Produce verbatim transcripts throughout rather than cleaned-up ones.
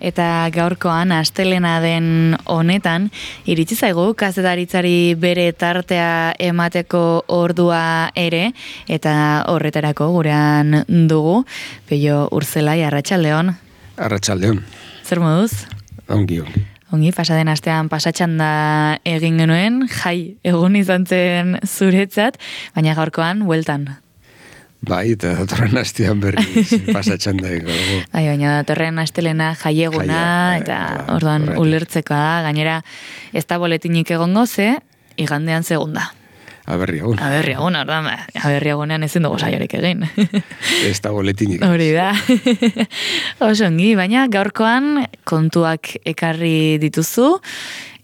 Eta gaurkoan astelena den honetan, iritsi zaigu kazetaritzari bere tartea emateko ordua ere, eta horretarako gurean dugu, Peio Urzelai, arratsaldeon. Arratsaldeon. Zer moduz? Ongi, ongi. Ongi, pasaden astean pasatxanda egin genuen, jai, egun izan zen zuretzat, baina gaurkoan, bueltan. Bai, eta datorren astean berri pasatxanda egin dugu. Bai, baina datorren astelena jaieguna, Jaia, eta eh, orduan horretik. ulertzekoa da, gainera ez da boletinik egongo ze, igandean segunda. Aberri egun. Aberri egun, orduan, ba, aberri egunean ezin dugu saiorik egin. Ez da boletinik. Hori da. Oso ongi, baina gaurkoan kontuak ekarri dituzu,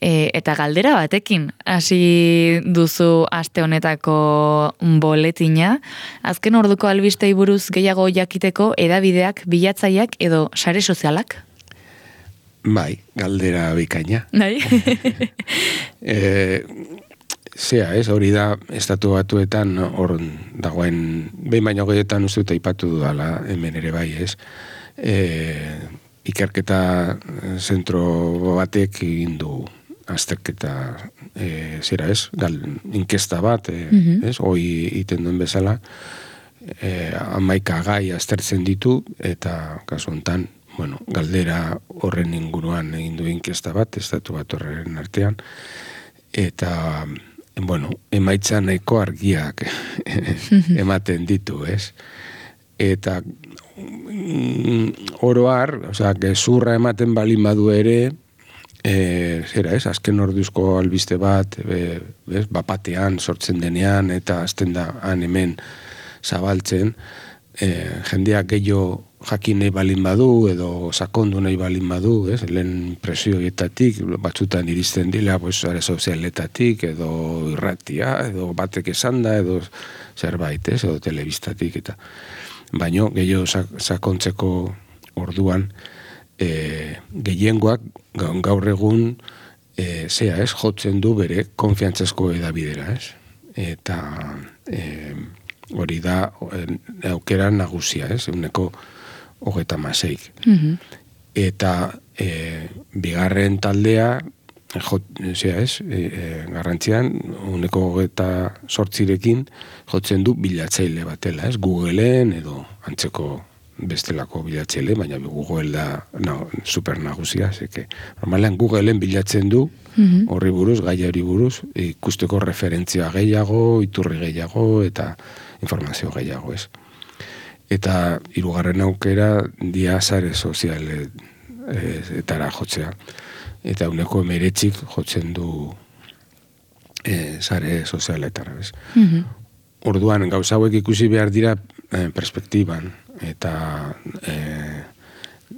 e, eta galdera batekin hasi duzu aste honetako boletina. Azken orduko albistei buruz gehiago jakiteko edabideak, bilatzaileak edo sare sozialak? Bai, galdera bikaina. Bai. E, zea, ez, hori da, estatu batuetan hor dagoen, behin baino gehietan uste dut aipatu dudala, hemen ere bai, ez. E, ikerketa zentro batek egin du azterketa, e, zera ez, gal, inkesta bat, e, Mhm. ez, hoi iten duen bezala, e, amaika gai aztertzen ditu, eta kasu honetan, bueno, galdera horren inguruan egin du inkesta bat, estatu bat horren artean, eta, bueno, emaitza nahiko argiak ematen ditu, ez? Eta mm, oro har, osea, gezurra ematen balin badu ere, e, zera ez, azken orduzko albiste bat, e, bez, bapatean sortzen denean, eta azten da han hemen zabaltzen, e, jendeak gehiago jakin nahi balin badu, edo sakondu nahi balin badu, ez? Lehen presioietatik, batzutan iristen dila, pues, sare sozialetatik, edo irratia, edo batek esan da, edo zerbait, ez? Edo telebistatik, eta baino, gehiago sak- sakontzeko orduan, e, gehiengoak gaur egun, e, zea, ez? Jotzen du bere konfiantzazko edabidera, ez? Eta e, hori da e, aukera nagusia, ez? Euneko hogeta maseik. Mhm. Eta e, bigarren taldea, jo, zera ez, e, e, garrantzian, uneko hogeta sortzirekin jotzen du bilatzaile batela, ez? Googleen edo antzeko bestelako bilatzaile, baina Google da na, super nagusia, zeke. Normalean Googleen bilatzen du, Mhm. horri buruz, gaia hori buruz, ikusteko referentzia gehiago, iturri gehiago, eta informazio gehiago, ez? Eta hirugarren aukera dia sare sozialetara jotzea. Eta uneko emeretzik jotzen du e, sare sozialetara, bez. Mhm. Orduan, gauza hauek ikusi behar dira e, perspektiban, eta e,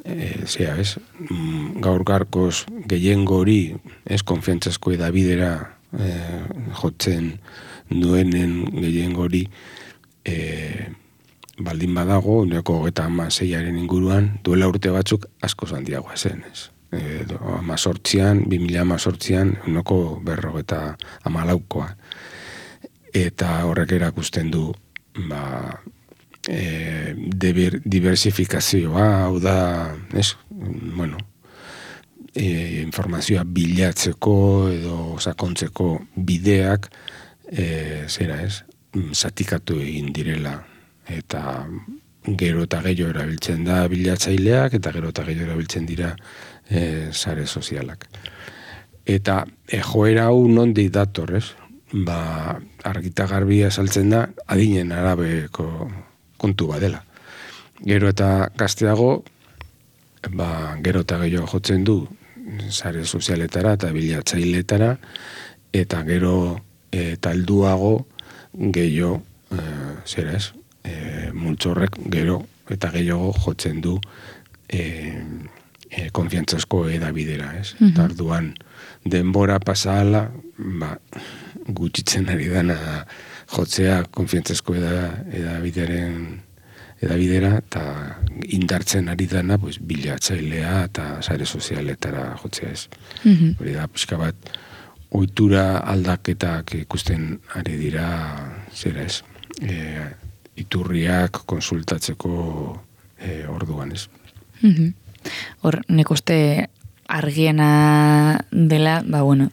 e, zera, ez, mm, gaur garkoz gehiengo hori, ez, konfiantzazko edabidera e, jotzen duenen gehiengo hori, e, baldin badago, uneko hogeita hamaseiaren inguruan, duela urte batzuk asko handiagoa zen, ez. E, amazortzian, bi mila amazortzian, uneko berrogeta hamalaukoa. Eta horrek erakusten du, ba, e, deber, diversifikazioa, hau da, ez, bueno, e, informazioa bilatzeko edo sakontzeko bideak, e, zera ez, zatikatu egin direla, eta gero eta gehiago erabiltzen da bilatzaileak, eta gero eta gehiago erabiltzen dira e, sare sozialak. Eta e, joera hau nondik dator, ez? Ba, argita garbia saltzen da, adinen arabeko kontu badela. Gero eta gazteago, ba, gero eta gehiago jotzen du sare sozialetara eta bilatzailetara, eta gero e, talduago gehiago, e, zera ez, e, multzorrek gero eta gehiago jotzen du e, e, konfiantzazko edabidera, ez? Mhm. Eta orduan denbora pasahala, ba, gutxitzen ari dana jotzea konfiantzazko eda, edabideren edabidera, eta indartzen ari dana, pues, bilatzailea eta sare sozialetara jotzea, ez. Mhm. Hori da, pixka bat, ohitura aldaketak ikusten ari dira, zera ez, e, iturriak konsultatzeko e, orduan, ez. Mhm. hor nik uste argiena dela, ba bueno,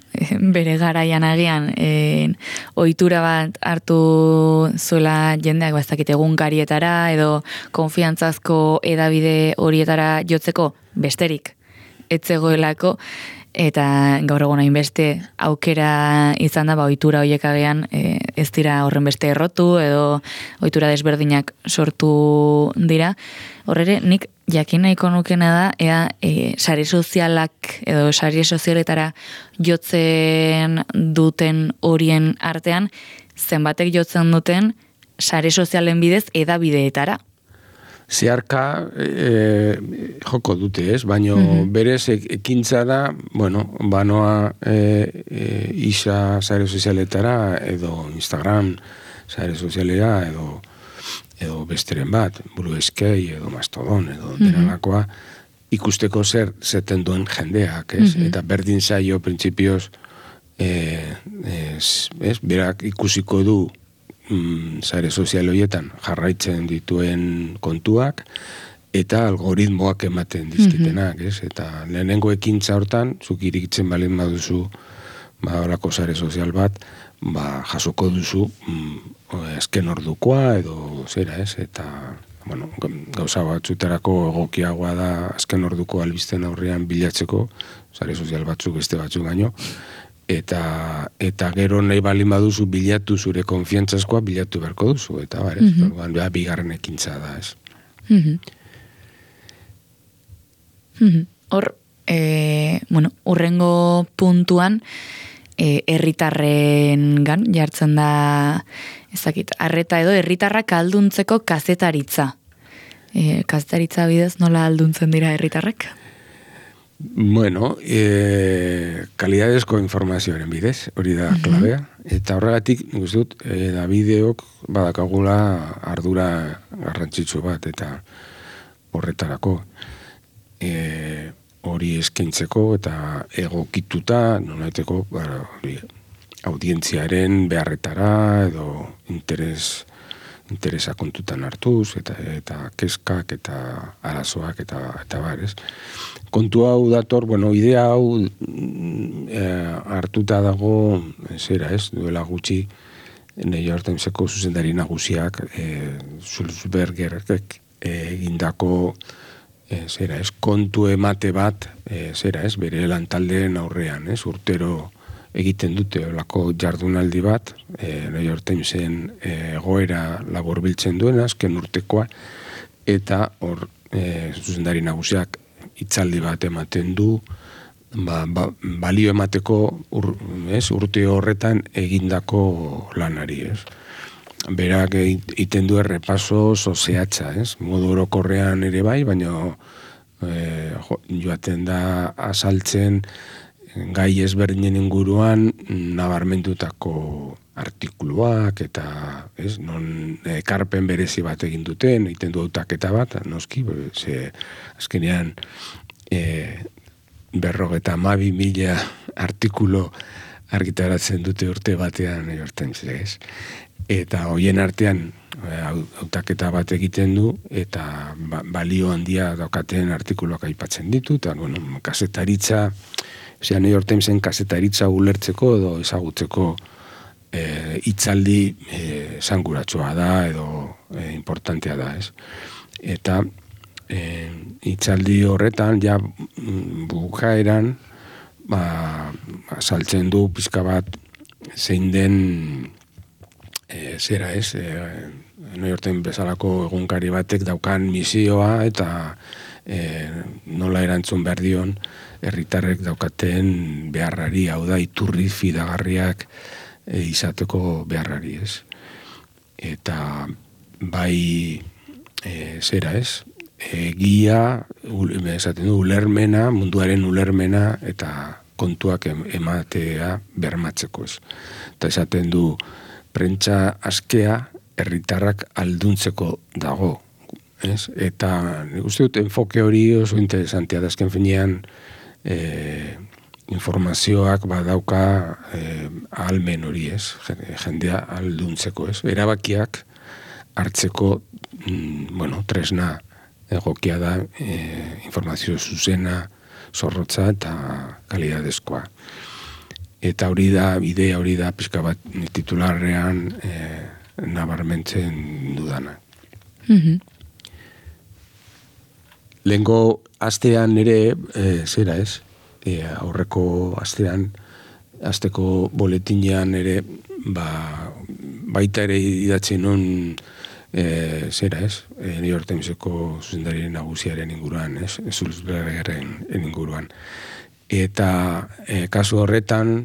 bere garaian agian e, ohitura bat hartu zuela jendeak bazakit egunkarietara edo konfiantzazko edabide horietara jotzeko besterik etzegoelako, eta gaur egun hainbeste aukera izan da, ba, ohitura horiek agian e, ez dira horren beste errotu edo ohitura desberdinak sortu dira. Horrere, nik jakin nahiko nukena da, ea e, sare sozialak edo sare sozialetara jotzen duten horien artean, zenbatek jotzen duten sare sozialen bidez edabideetara. Zeharka e, joko dute, ez? Baina mm-hmm. berez ekintza da, bueno, banoa e, e, isa sare sozialetara edo Instagram sare sozialera edo edo besteren bat, Blue Sky edo Mastodon edo mm-hmm. denalakoa ikusteko zer zeten duen jendeak, ez? Mm-hmm. Eta berdin zaio printzipioz e, ez, ez? Berak ikusiko du Mm, sare sozial horietan jarraitzen dituen kontuak eta algoritmoak ematen dizkitenak, ez? Eta lehenengo ekintza hortan, zuk irikitzen balin baduzu ba, horako sare sozial bat, ba, jasoko duzu mm, azken ordukoa edo zera, ez? Eta, bueno, gauza batzutarako egokiagoa da azken orduko albisten aurrean bilatzeko, sare sozial batzuk beste batzuk baino, eta eta gero nahi balin baduzu bilatu zure konfiantzazkoa bilatu beharko duzu, eta bare, mm-hmm. orduan, beha, bigarren ekintza da, ez. Mm-hmm. Mm-hmm. Hor, e, bueno, urrengo puntuan, e, herritarrengan jartzen da, ezakit, arreta edo herritarrak alduntzeko kazetaritza. E, kazetaritza bidez nola alduntzen dira herritarrak? Bueno, e, kalidadezko informazioaren bidez, hori da klabea, eta horregatik, nik uste dut, e, da bideok badakagula ardura garrantzitsu bat, eta horretarako e, hori eskaintzeko eta egokituta, nonaiteko, bara, hori, audientziaren beharretara, edo interes interesa kontutan hartuz, eta, eta keskak, eta arazoak, eta, eta barez. Kontu hau dator, bueno, idea hau e, hartuta dago, zera ez, duela gutxi, New York Timeseko zuzendari nagusiak, e, Sulzbergerek egindako, e, zera ez, kontu emate bat, e, zera ez, bere lantaldeen aurrean, ez, urtero egiten dute olako jardunaldi bat, e, New York Timesen egoera e, labor biltzen duen, azken urtekoa, eta hor e, zuzendari nagusiak hitzaldi bat ematen du, ba, ba, balio emateko ur, ez, urte horretan egindako lanari, ez. Berak egiten du errepaso sozeatza, ez, modu orokorrean ere bai, baina e, jo, joaten da azaltzen gai ezberdinen inguruan nabarmentutako artikuluak eta ez, non ekarpen berezi bat egin duten, egiten du hautaketa bat, noski, ze azkenean e, berrogeta hamabi mila artikulu argitaratzen dute urte batean jorten ez. Eta hoien artean hautaketa bat egiten du eta ba, balio handia daukaten artikuluak aipatzen ditu, eta bueno, kazetaritza, Osea, New York Timesen kazetaritza ulertzeko edo ezagutzeko e, itzaldi e, sanguratsua da edo e, importantea da, ez? Eta e, itzaldi horretan, ja bukaeran, ba, saltzen du pizka bat zein den e, zera, ez? E, New York Times bezalako egunkari batek daukan misioa eta e, nola erantzun behar dion herritarrek daukaten beharrari, hau da, iturri fidagarriak e, izateko beharrari, ez. Eta bai, e, zera, ez, egia, esaten du, ulermena, munduaren ulermena, eta kontuak ematea bermatzeko, ez. Eta esaten du, prentsa askea herritarrak alduntzeko dago, ez. Eta nik uste dut, enfoke hori oso interesantea da, azken finean, E, informazioak badauka e, ahalmen hori, ez, jendea alduntzeko, ez, erabakiak hartzeko mm, bueno, tresna egokia da e, informazio zuzena, zorrotza eta kalidadezkoa. Eta hori da, idea hori da, pixka bat titularrean e, nabarmentzen dudana. Mhm. Lehengo astean ere, e, zera ez, e, aurreko astean, asteko boletinean ere, ba, baita ere idatzen non, e, zera ez, e, New York Timeseko zuzendarien nagusiaren inguruan, ez, Sulzbergeren inguruan. Eta e, kasu horretan,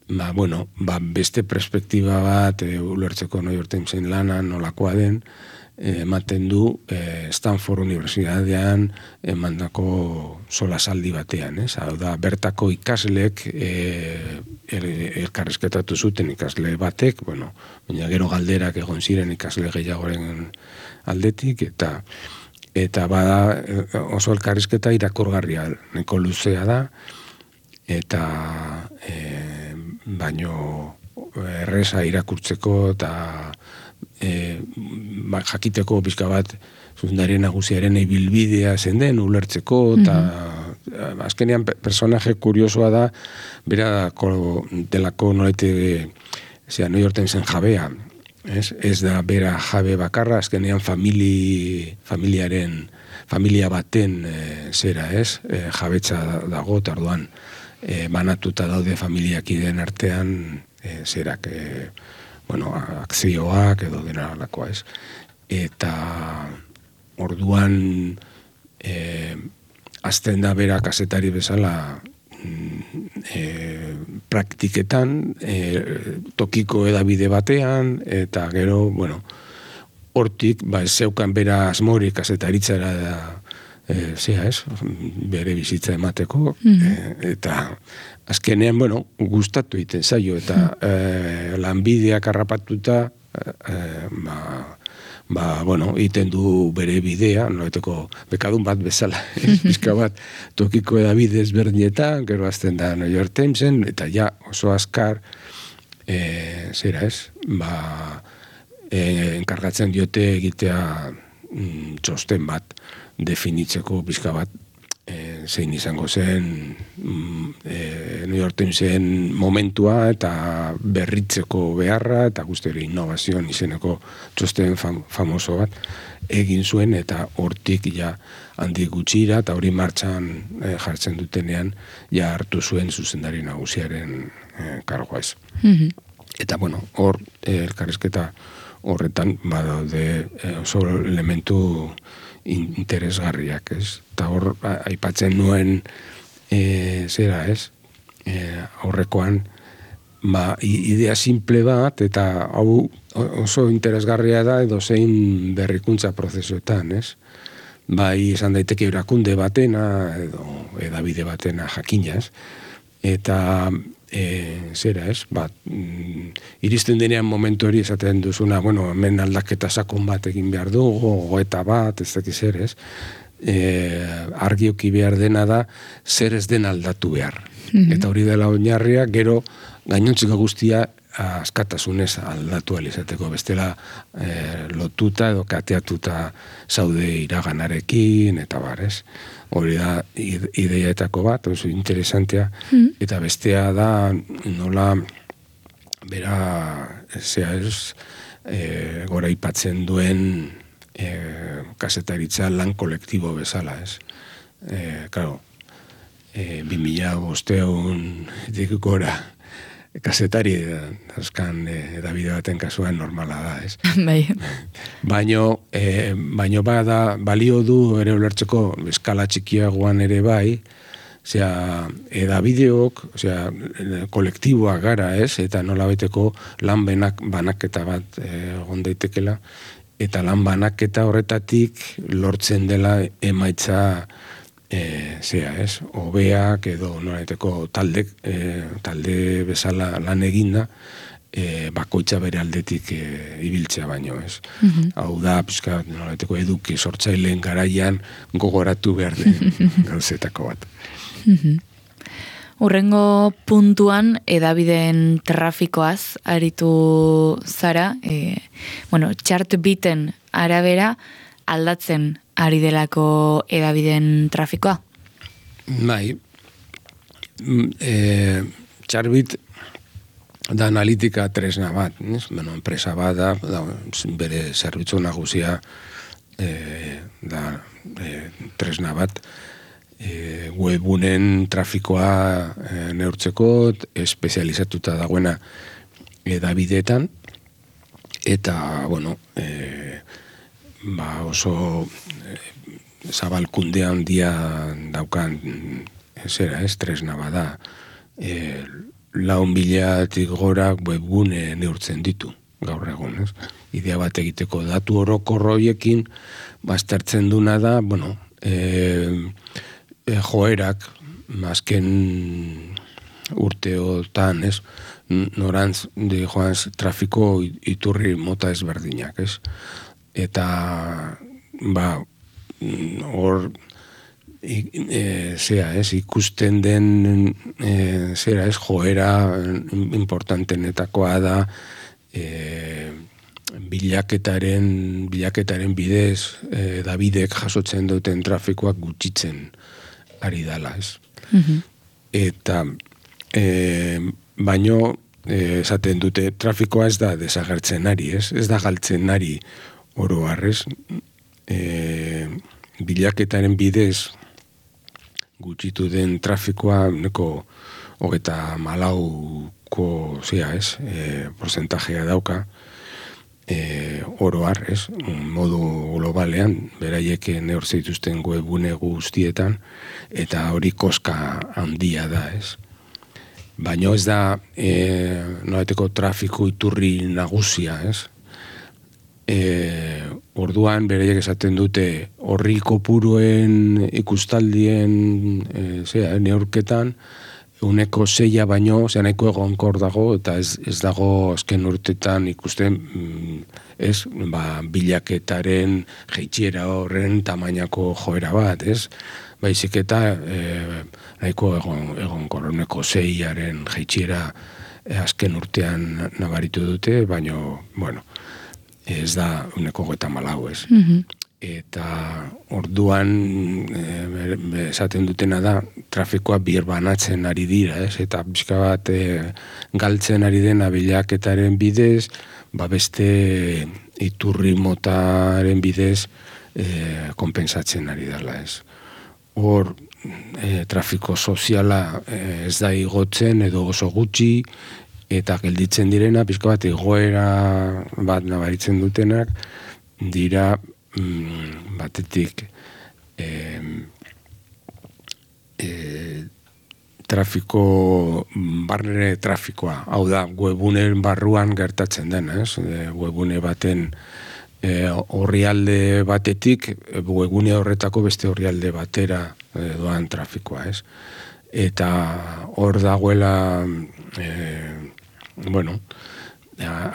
ba, bueno, ba, beste perspektiba bat, e, ulertzeko New York Timesen lana nolakoa den, ematen du eh, Stanford Unibertsitatean emandako solasaldi batean, ez? Hau da, bertako ikaslek eh, elkarrizketatu zuten ikasle batek, bueno, baina gero galderak egon ziren ikasle gehiagoren aldetik, eta eta bada oso elkarrizketa irakurgarria, nahiko luzea da, eta eh, baino erreza irakurtzeko eta E, ba, jakiteko pixka bat zuzendarien nagusiaren ibilbidea zen den ulertzeko, eta mm-hmm. azkenean personaje kuriosoa da, bera delako nolete zera, New York Timesen jabea, ez? Ez da bera jabe bakarra, azkenean famili, familiaren familia baten e, zera, ez? E, jabetza dago, eta orduan e, banatuta daude familiakideen artean e, zerak, e, bueno, akzioak edo dena alakoa, ez. Eta orduan e, azten da bera kazetari bezala e, praktiketan, e, tokiko edabide batean, eta gero, bueno, hortik, ba, ez zeukan bera asmorik kazetaritzara da, e, zea, ez, bere bizitza emateko, mm-hmm. e, eta azkenean, bueno, gustatu egiten zaio, eta eh, lanbideak harrapatuta, eh, ba, ba, bueno, egiten du bere bidea, noeteko bekadun bat bezala, bizka bat tokiko edabide ezberdinetan, gero azten da New York Timesen, eta ja oso azkar, eh, zera ez, ba, eh, enkargatzen diote egitea mm, txosten bat, definitzeko bizka bat, E, zein izango zen e, New York Timesen momentua eta berritzeko beharra eta guztiari innovazioan izeneko txosten fam, famoso bat egin zuen, eta hortik ja handik gutxira eta hori martxan e, jartzen dutenean ja hartu zuen zuzendari nagusiaren e, kargoa ez. Mm-hmm. Eta bueno, hor e, elkarrizketa horretan badaude e, oso elementu interesgarriak, ez? Eta hor, aipatzen nuen e, zera, ez? E, aurrekoan, ba, idea simple bat, eta hau oso interesgarria da edo zein berrikuntza prozesuetan, ez? Bai, esan daiteke erakunde batena, edo edabide batena jakina, ez? Eta e, zera, ez? Ba, mm, iristen denean momentu hori esaten duzuna, bueno, hemen aldaketa sakon bat egin behar du, gogoeta bat, ez dakiz zer, ez? E, argioki behar dena da, zer ez den aldatu behar. Mm-hmm. Eta hori dela oinarria, gero gainontzeko guztia askatasunez aldatu alizateko, bestela e, lotuta edo kateatuta zaude iraganarekin, eta bar, ez? Hori da ideiaetako bat, oso interesantea, mm. eta bestea da nola bera, zea ez, e, gora ipatzen duen e, kasetaritza lan kolektibo bezala, ez? E, claro, e, bi mila bosteun dik gora kasetari azkan edabide baten kasuan normala da, ez? Bai. Baino, e, baino bada, balio du ere ulertzeko eskala txikiagoan ere bai, osea, edabideok, osea, kolektiboak gara, ez? Eta nola baiteko lan benak, banaketa bat egon daitekela, eta lan banaketa horretatik lortzen dela emaitza E, zea, ez, hobeak edo noraiteko talde, e, talde bezala lan eginda, e, bakoitza bere aldetik e, ibiltzea baino, ez. Mm-hmm. Hau da, pizka, noraiteko eduki sortzaileen garaian gogoratu behar den gauzetako bat. Mm-hmm. Urrengo puntuan edabideen trafikoaz aritu zara, e, bueno, Chartbeaten arabera aldatzen ari delako edabideen trafikoa? Bai, e, txarbit da analitika tresna bat, ez? Bueno, enpresa bat da, da bere zerbitzu nagusia e, da e, tresna bat, e, webunen trafikoa e, neurtzeko espezializatuta dagoena edabideetan, eta, bueno, e, ba oso e, zabalkunde handia daukan zera, ez, tresna bada, e, lau milatik gora webgune neurtzen ditu, gaur egun, ez? Idea bat egiteko datu orokor horiekin, baztertzen duna da, bueno, e, e, joerak, azken urteotan, ez? Norantz, di joanz, trafiko iturri mota ezberdinak, ez? Eta, ba, hor, E, zera, ez, ikusten den e, zera, ez, joera importantenetakoa da e, bilaketaren bilaketaren bidez e, Davidek jasotzen duten trafikoak gutxitzen ari dala, ez. Mm-hmm. Eta e, baino e, esaten dute trafikoa ez da desagertzen ari, ez, ez da galtzen ari oro harrez, e, bilaketaren bidez gutxitu den trafikoa neko hogeta malauko zea, ez, e, porzentajea dauka e, oroar, ez, modu globalean, beraiek neurtze dituzten webgune guztietan, eta hori koska handia da, ez. Baina ez da e, nolateko trafiko iturri nagusia, ez. E, orduan beraiek esaten dute horri kopuruen ikustaldien e, zera, neurketan uneko zeia baino, zera nahiko egonkor dago, eta ez, ez dago azken urtetan ikusten ez, ba, bilaketaren jeitxiera horren tamainako joera bat, ez? Baizik eta e, nahiko egon, egonkor, uneko zeiaren jeitxiera e, azken urtean nabaritu dute, baino, bueno, ez da uneko gota malau, ez. Mm-hmm. Eta orduan e, esaten dutena da trafikoa birbanatzen ari dira, ez? Eta pixka bat e, galtzen ari dena bilaketaren bidez, ba beste iturri motaren bidez e, konpensatzen ari dela, ez. Hor e, trafiko soziala e, ez da igotzen edo oso gutxi, eta gelditzen direna, pixka bat egoera bat nabaritzen dutenak, dira mm, batetik e, e, trafiko, barne trafikoa, hau da, webunen barruan gertatzen dena, ez? E, webune baten e, orrialde batetik, webune horretako beste orrialde batera e, doan trafikoa, ez? Eta hor dagoela e, bueno,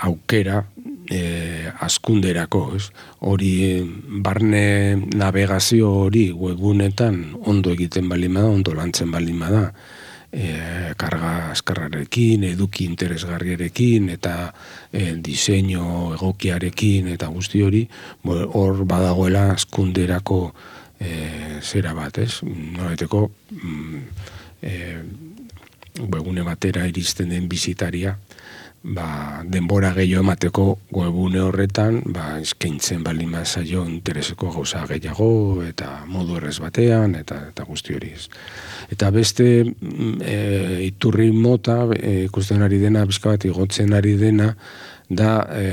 aukera e, askunderako, ez? Hori barne navegazio hori webunetan ondo egiten balima da, ondo lantzen balima da, e, karga azkarrarekin, eduki interesgarriarekin, eta e, diseinu egokiarekin, eta guzti hori, hor badagoela askunderako e, zera bat, ez? Noreteko mm, e, webune batera iristen den bizitaria, ba, denbora gehiago emateko webune horretan, ba, eskaintzen baldin zaio intereseko gauza gehiago, eta modu errez batean, eta, eta guzti hori ez. Eta beste e, iturri mota, e, ikusten ari dena, bizka bat igotzen ari dena, da e,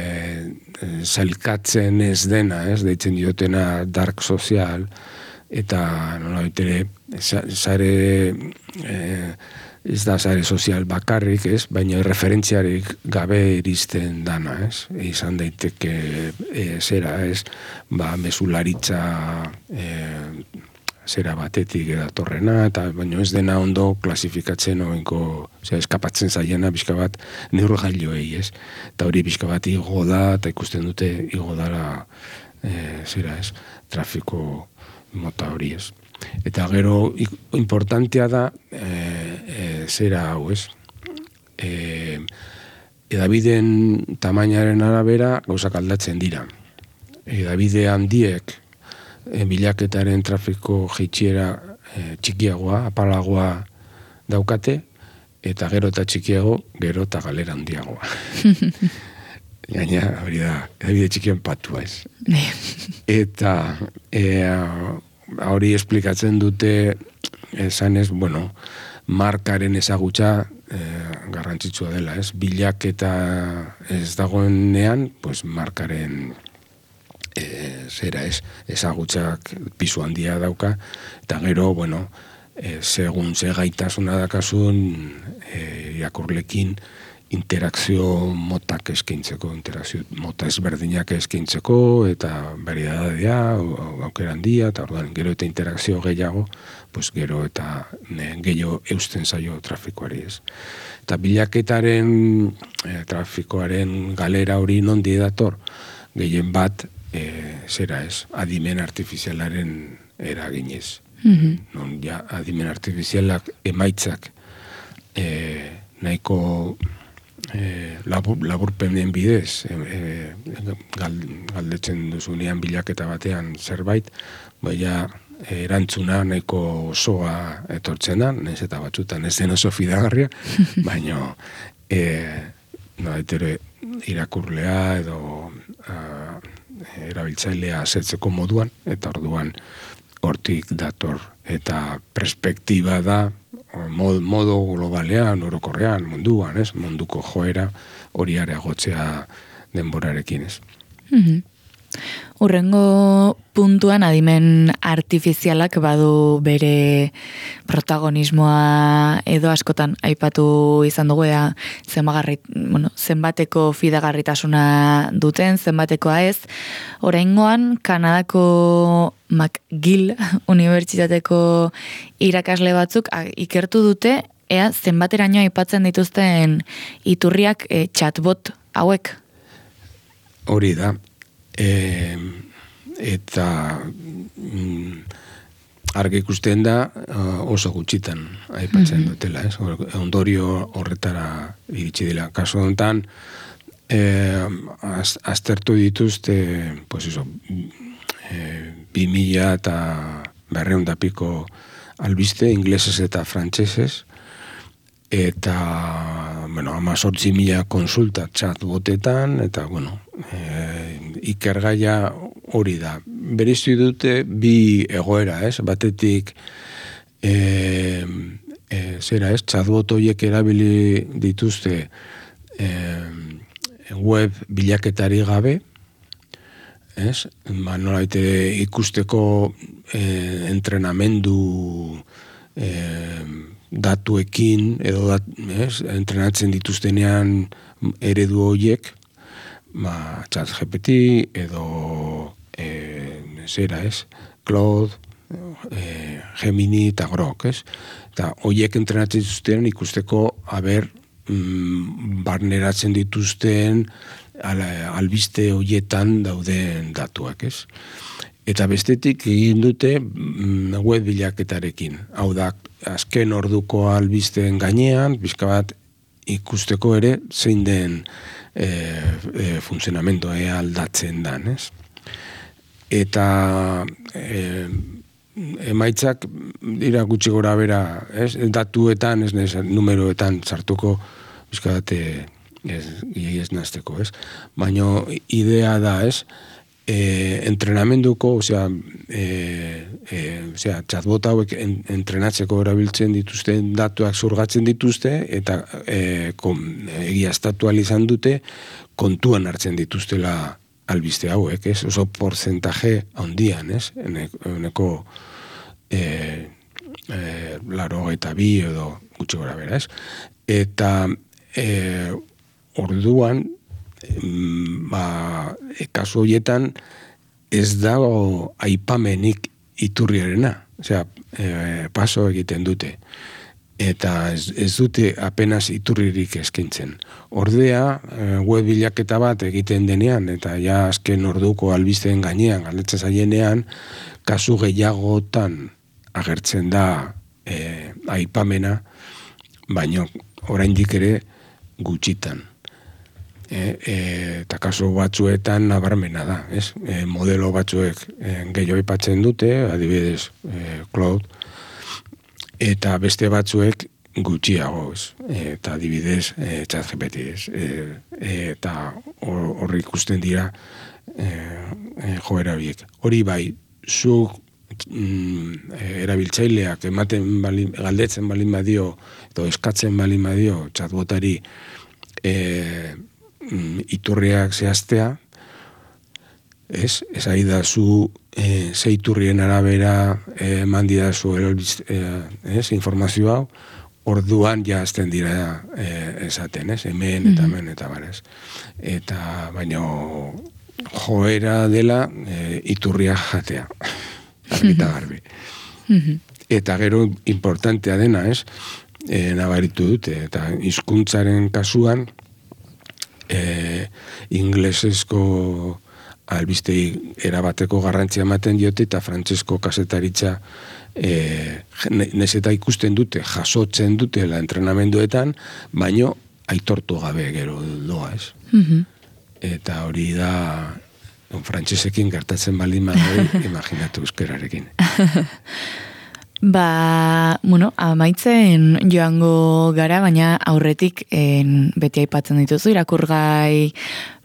e, zailkatzen ez dena, ez, deitzen diotena dark sozial, eta nola bitere, zare e, ez da sare sozial bakarrik, ez, baina referentziarik gabe iristen dana, ez, izan daiteke e, zera, ez, ba, mesularitza e, zera batetik edatorrena, eta baina ez dena ondo klasifikatzen oinko, zera, eskapatzen zaiena bizka bat neurgailoei, ez, eta hori bizka bat igo da, eta ikusten dute igo dara, e, zera, ez, trafiko mota hori, ez. Eta gero importantea da e, e, zera hau, ez? E, edabideen tamainaren arabera gauzak aldatzen dira. Edabide handiek e, bilaketaren trafiko jeitsiera e, txikiagoa, apalagoa daukate, eta gero eta txikiago, gero eta galera handiagoa. Gaina, hori da, edabide txikien patua ez. Eta e, hori esplikatzen dute, esan ez, bueno, markaren ezagutza e, garrantzitsua dela, ez? Bilaketa ez dagoenean, pues markaren e, zera ez, ezagutzak pisu handia dauka, eta gero, bueno, e, segun ze gaitasuna dakasun e, irakurlekin interakzio motak eskaintzeko, interakzio mota ezberdinak eskaintzeko, eta variedadea, aukera handia, eta orduan gero eta interakzio gehiago, pues gero eta ne, gehiago eusten zaio trafikoari ez. Eta bilaketaren e, trafikoaren galera hori nondi dator, gehien bat, e, zera ez, adimen artifizialaren eraginez. Mm-hmm. Non ja adimen artifizialak emaitzak e, nahiko E, labur, laburpenen bidez e, e, galdetzen duzunean bilaketa batean zerbait, baina erantzuna nahiko osoa etortzen da, nez eta batzutan ez den oso fidagarria, baina e, nolaitere irakurlea edo a, erabiltzailea asetzeko moduan, eta orduan hortik dator, eta perspektiba da Mod, modo globalean, orokorrean, munduan, ez? Munduko joera hori areagotzea denborarekin, ez? Mm-hmm. Urrengo puntuan adimen artifizialak badu bere protagonismoa edo askotan aipatu izan dugu ea zenbagarri, bueno, zenbateko fidagarritasuna duten, zenbatekoa ez. Oraingoan Kanadako McGill Unibertsitateko irakasle batzuk ikertu dute ea zenbateraino aipatzen dituzten iturriak e, chatbot hauek. Hori da. E, eta mm, argi ikusten da oso gutxitan aipatzen mm-hmm. dutela, ez? Ondorio horretara iritsi dela. Kasu honetan e, az, aztertu dituzte pues eso, e, bi mila eta berreun da piko albiste, inglesez eta frantsesez, eta bueno, amazortzi mila konsulta chatbotetan, eta bueno, e, ikergaia hori da. Bereiztu dute bi egoera, ez? Batetik e, e, zera ez, chatbot horiek erabili dituzte e, web bilaketari gabe, ez? Ba, nolaite ikusteko e, entrenamendu e, datuekin edo dat, ez, entrenatzen dituztenean eredu horiek, ba, ChatGPT edo e, zera ez, Claude, e, Gemini eta Grok, ez? Eta horiek entrenatzen dituztenean ikusteko haber mm, barneratzen dituzten al, albiste horietan dauden datuak, ez? Eta bestetik egin dute web bilaketarekin. Hau da, azken orduko albisteen gainean, pixka bat ikusteko ere zein den e, e, funtzionamentoa e, aldatzen dan, ez? Eta e, emaitzak dira gutxi gora bera, ez? Datuetan, ez nez, numeroetan sartuko pixka bat ez, ez nazteko, ez? Baina idea da, ez? E, entrenamenduko, osea, e, e, osea, chatbot hauek en, entrenatzeko erabiltzen dituzten datuak zurgatzen dituzte, eta e, kom, egiaztatu izan dute kontuan hartzen dituztela albiste hauek, ez? Oso porcentaje handian, ez? Eneko e, e, laro eta bi edo gutxi gora bera, ez? Eta e, orduan ba, kasu horietan ez dago aipamenik iturriarena, osea, e, paso egiten dute, eta ez, ez dute apenas iturririk eskaintzen. Ordea, web bilaketa bat egiten denean, eta ja azken orduko albisteen gainean, galdetzen zaienean, kasu gehiagotan agertzen da e, aipamena, baino oraindik ere gutxitan. E, e, eta kasu batzuetan nabarmena da, ez? E, modelo batzuek e, gehiago aipatzen dute, adibidez e, Cloud, eta beste batzuek gutxiago, ez? E, eta adibidez e, ChatGPT, ez? E, e, eta horri ikusten dira e, e, joera biek. Hori bai, zuk mm, erabiltzaileak ematen bali, galdetzen balin badio, edo eskatzen balin badio chatbotari e, iturriak zehaztea, ez, ez ari da zu e, zeiturrien arabera eman e, didazu e, ez, informazio hau, orduan ja azten dira e, esaten, ez, hemen eta hemen eta barez. Eta baino joera dela e, iturria jatea, argita garbi. Eta gero importantea dena, ez, e, nabaritu dute, eta hizkuntzaren kasuan, E, inglesezko albistei erabateko garrantzia ematen diote eta frantsesko kasetaritza e, neseta ikusten dute, jasotzen dute la entrenamenduetan, baino aitortu gabe gero doa, ez? Mm-hmm. Eta hori da frantsesekin gertatzen balin badoi, imaginatu euskerarekin. Ba, bueno, amaitzen joango gara, baina aurretik en, beti aipatzen dituzu, irakurgai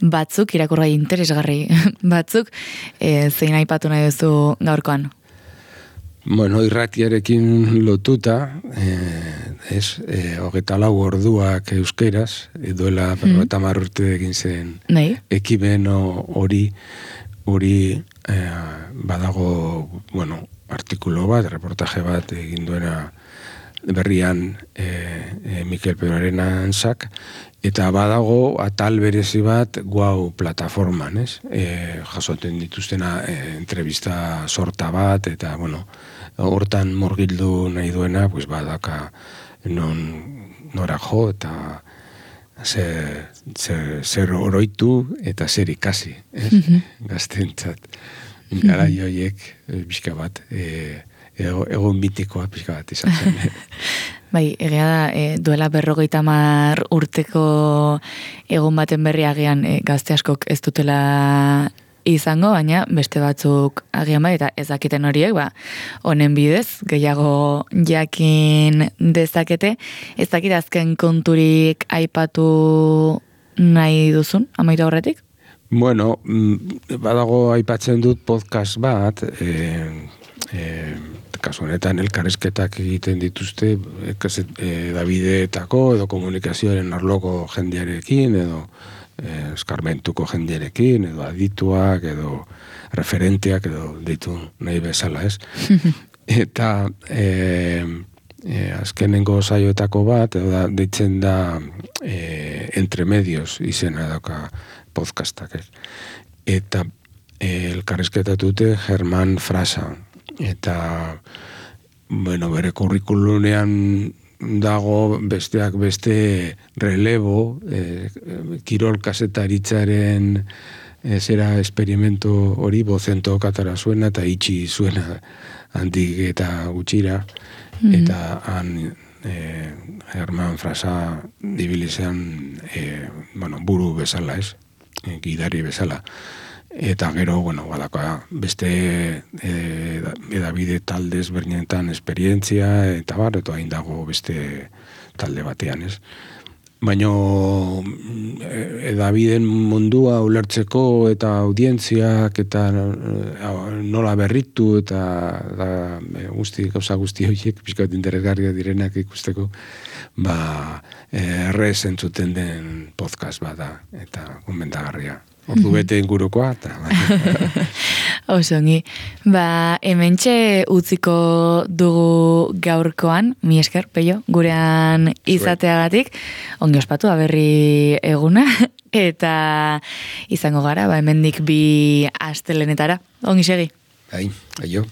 batzuk, irakurgai interesgarri batzuk, e, zein aipatu nahi duzu gaurkoan? Bueno, irratiarekin lotuta, eh, ez, eh, hogeta lau orduak euskeraz, duela mm. eta marrurte egin zen Nei? Ekimen hori, hori eh, badago, bueno, artikulo bat, reportaje bat egin duena berrian e, e, Mikel Peroaren antzak, eta badago atal berezi bat guau plataforman, ez? E, jasoten dituztena e, entrevista sorta bat, eta, bueno, hortan morgildu nahi duena, pues badaka non nora jo, eta zer, zer, zer oroitu, eta zer ikasi, ez? Mm-hmm. Gaztentzat. Gara joiek, pixka bat, e, ego, egon mitikoa pixka bat izan zen. Bai, egia da, e, duela berrogeita hamar urteko egon baten berri agian e, gazte askok ez dutela izango, baina beste batzuk agian bai, eta ez dakiten horiek, ba, honen bidez, gehiago jakin dezakete, ez dakit azken konturik aipatu nahi duzun, amaitu horretik? Bueno, badago aipatzen dut podcast bat, e, e, kasu honetan elkarrizketak egiten dituzte, e, Davideetako edo komunikazioaren arloko jendearekin, edo e, eskarmentuko jendearekin, edo adituak, edo referenteak, edo ditu nahi bezala, ez? Eta e, e, azkenengo saioetako bat, edo da, deitzen da e, Entre Medios izena dauka podcastak, ez. Eta e, elkarrizketatute Germán Frasa. Eta, bueno, bere kurrikulunean dago besteak beste relebo, e, kirol kasetaritzaren e, zera esperimentu hori bozento katara zuena eta itxi zuena handik eta gutxira. Mm-hmm. Eta han e, Germán Frasa dibilizean e, bueno, buru bezala, ez? Gidari bezala. Eta gero, bueno, badaka beste e, edabide taldez bernietan esperientzia, eta bar, eta hain dago beste talde batean, ez? Baina edabideen mundua ulertzeko eta audientziak eta nola berritu eta da, guzti, gauza guzti horiek, pixkat interesgarria direnak ikusteko, ba, errez entzuten den podcast bada eta gomendagarria. Ordu bete ingurukoa, eta... Osongi. Ba, hementxe utziko dugu gaurkoan, mi esker, Peio, gurean izateagatik, ongi ospatu, aberri eguna, eta izango gara, ba, hemendik bi astelenetara. Ongi segi. Ai, aio.